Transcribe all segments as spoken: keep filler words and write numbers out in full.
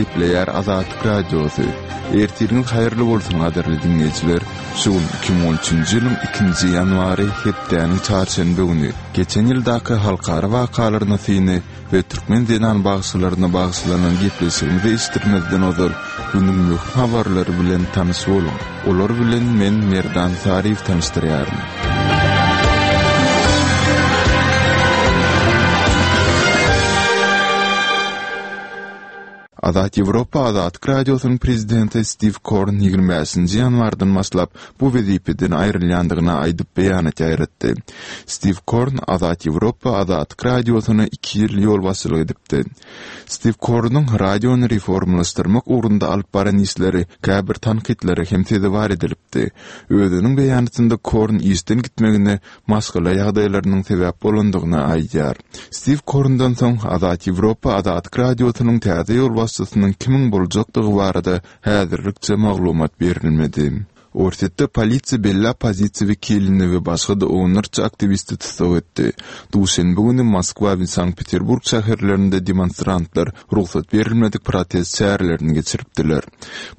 Gepleýär Azatlyk Radiosy. Ertiriňiz haýyrly bolsun gadyrly diňleýjiler. Şu gün iki müň on üçünji ýylyň ikinji ýanwary hepdäniň çarşenbe güni. Geçen ýyldaky halkara wakalaryna syny we türkmen zenan bagşylaryna bagyşlanan gepleşigimizi eşitdirmezden ozal günüň möhüm habarlary bilen tanyş boluň. Olar bilen men Merdan Saryýew tanyşdyrýaryn. Azat Ýewropa Azatlyk Radiosynyň prezidenti Stiw Korn ýigrimi bäşinji ýanwardan başlap bu wezipeden aýrylýandygyny aýdyp beýanat ýaýratdy. Stiw Korn Azat Ýewropa Azatlyk Radiosyna iki ýyl ýolbaşçylyk edipdi. Stiw Kornuň radiony reformalaşdyrmak ugrunda alyp baran işleri käbir tankytlara hem sezewar edilipdi. Özüniň beýanatynda Korn işden gitmegine maşgala ýagdaýlarynyň sebäp bolandygyny aýdýar. Stiw Korndan soň Azat Ýewropa Azatlyk Radiosynyň täze ýolbaşçysynyň kimiň boljakdygy barada häzirlikçe maglumat berilmedi. Orsýetde polisiýa belli oppozisiýa wekilini we başga-da onlarça aktiwisti tussag etdi. Duşenbe güni Moskwa we Sankt-Peterburg şäherlerinde demonstrantlar rugsat berilmedik protest çärelerini geçiripdiler.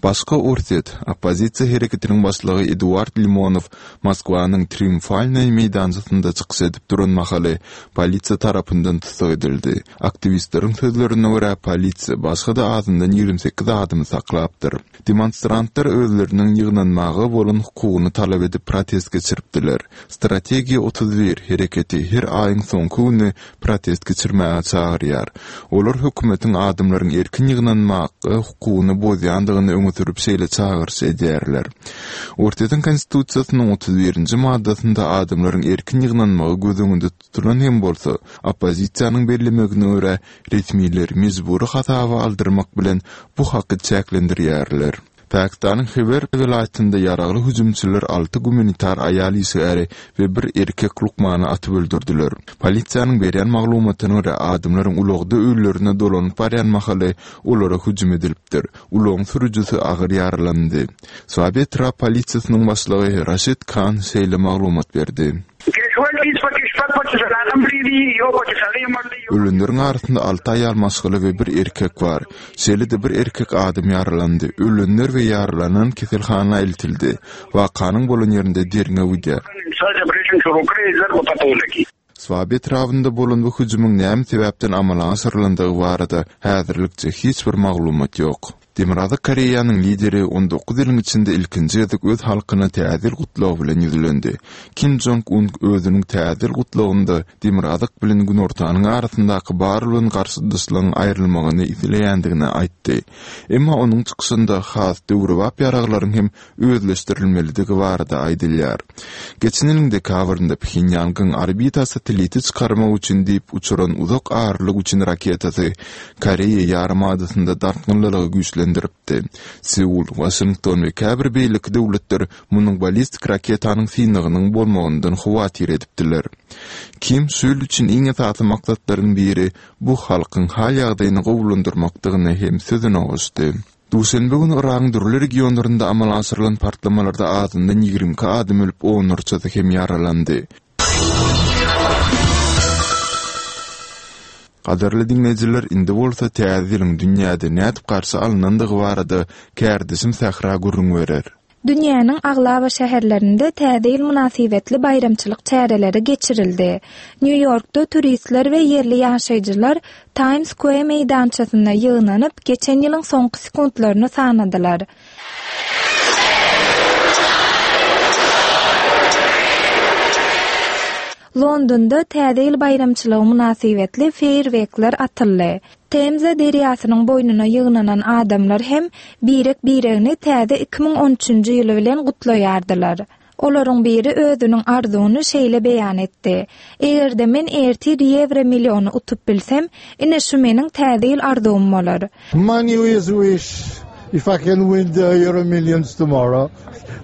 Başga orsýet oppozisiýa hereketiniň başlygy Eduard Limonow Moskwanyň Triumfalnyý meýdançasynda çykyş edip duran mahaly polisiýa tarapyndan tussag edildi. Aktiwistleriň sözlerine görä, polisiýa başga-da azyndan ýigrimi sekiz adamy saklapdyr. Demonstrantlar özleriniň ýygnanmaga bolan hukugyny talap edip protest geçiripdiler. Strategiýa otuz bir hereketi her aýyň soňky güni protest geçirmäge çagyrýar. Olar hökümetiň adamlaryň erkin ýygnanmaga hukugyny bozýandygyny öňe sürüp şeýle çagyryş edýärler. Orsýetiň Konstitusiýasynyň otuz birinji maddasynda adamlaryň erkin ýygnanmagy göz öňünde tutulan hem bolsa, oppozisiýanyň bellemegine görä, resmiler mejbury hasaba aldyrmak bilen bu haky çäklendirýärler. Pakistanyň Hiber welaýatynda ýaragly hüjümçiler alty gumanitar aýal işgäri we bir erkek lukmany atyp öldürdiler. Polisiýanyň berýän maglumatyna görä, adamlaryň ulagda öýlerine dolanyp barýan mahaly olara hüjüm edilipdir. Ulagyň sürüjisi agyr ýaralandy. Swabi etrap polisiýasynyň başlygy Raşid Khan şeýle maglumat berdi. Ölenleriň arasynda alty aýal maşgala we bir erkek bar. Şeýle-de bir erkek adam ýaralandy. Ölenler we ýaralanan keselhana eltildi. Wakanyň bolan ýerinde derňew gidýär. Swabi etrabynda bolan bu hüjümiň näme sebäpden amala aşyrylandygy barada häzirlikçe hiç bir maglumat ýok. Demirgazyk Koreýanyň lideri on dokuz ýylyň içinde ilkinji gezek öz halkyna Täze ýyl gutlagy bilen ýüzlendi. Kim Jong Un özüniň Täze ýyl gutlagynda Demirgazyk bilen Günortanyň arasyndaky bar bolan garşydaşlygyň aýrylmagyny isleýändigini aýtdy. Emma onuň çykyşynda has döwrebap ýaraglaryň hem özleşdirilmelidigi barada aýdylýar. Geçen ýylyň dekabrynda Phenýangyň orbita satelliti çykarmak üçin diýip uçuran uzak aralyk üçin raketasy Koreýa ýarymadasynda dartgynlylygy güýçlendiripdi. Seul, Waşington we käbir beýleki döwletler munuň ballistik raketanyň synagynyň bolmagyndan howatyr edipdiler. Kim şu ýyl üçin iň esasy maksatlaryň biri bu halkyň hal-ýagdaýyny gowulandyrmakdygyny hem sözüne goşdy. Duşenbe güni Yragyň dürli regionlarynda amala aşyrylan partlamalarda azyndan ýigrimi iki adam ölüp, onlarçasy hem ýaralandy. Gadyrly diňleýjiler, indi bolsa Täze ýylyň dünýäde nädip garşy alynandygy barada kärdeşim Sähra gürrüň berer. Dünýäniň aglaba şäherlerinde Täze ýyl mynasybetli baýramçylyk çäreleri geçirildi. Nýu-Ýorkda turistler we ýerli ýaşaýjylar Times Square meýdançasynda ýygnanyp, geçen ýylyň soňky sekuntlaryny sanadylar. Londonda Täze ýyl baýramçylygy mynasybetli feýerwerkler atyldy. Temza derýasynyň boýnuna ýygnanan adamlar hem birek-biregini täze iki müň on üçünji ýyly bilen gutlaýardylar. Olaryň biri özüniň arzuwyny şeýle beýan etdi. Eger-de men ertir ýewro milliony utup bilsem, ine şu meniň täze ýyl arzuwym bolar. My New Year's wish, if I can win the Euro Millions tomorrow,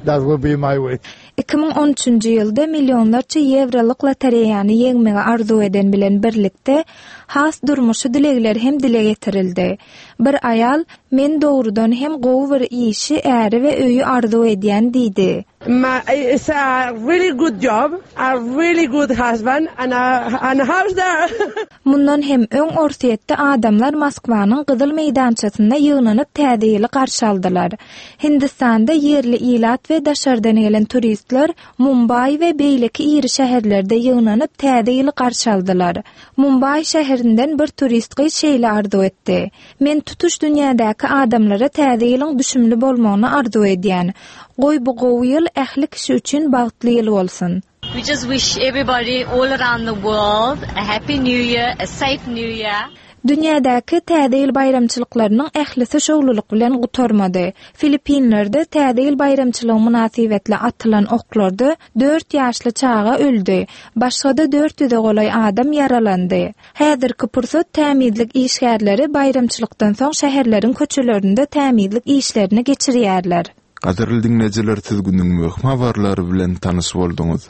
that will be my wish. Iki müň on üçünji ýylda millionlarça ýewrolyk lotereýany ýeňmegi arzuw eden bilen birlikde, has durmuşy dilegler hem dile getirildi. Bir aýal, Men dogrudan hem gowy bir işi, äri we öýi arzuw edýän diýdi. My, it's a really good job, a really good husband and a, and a house there. Mundan hem öň Orsýetde adamlar Moskwanyň Gyzyl meýdançasynda ýygnanyp täze ýyly garşy aldylar. Hindistanda ýerli ilat we daşardan gelen turistler Mumbai we beýleki iri şäherlerde ýygnanyp täze ýyly garşy aldylar. Mumbai şäherinden bir turist gyz şeýle arzuw etdi. Men tutuş dünýädäki adamlara täze ýylyň düşümli bolmagyny arzuw edýän. Goý bu gowy ýyl ähli kişi üçin bagtly ýyl bolsun. We just wish everybody all around the world a happy new year, a safe new year. Dünýädäki täze ýyl baýramçylyklarynyň ählisi şowlulyk bilen gutarmady. Filippinlerde täze ýyl baýramçylygy mynasybetli atylan oklarda dört ýaşly çaga öldi. Başga-da dört ýüze golaý adam ýaralandy. Häzirki pursat tämizlik işgärleri baýramçylykdan soň şäherleriň köçelerinde tämizlik işlerini geçirýärler. Gadyrly diňleýjiler, siz günüň möhüm habarlary bilen tanyş bolduňyz.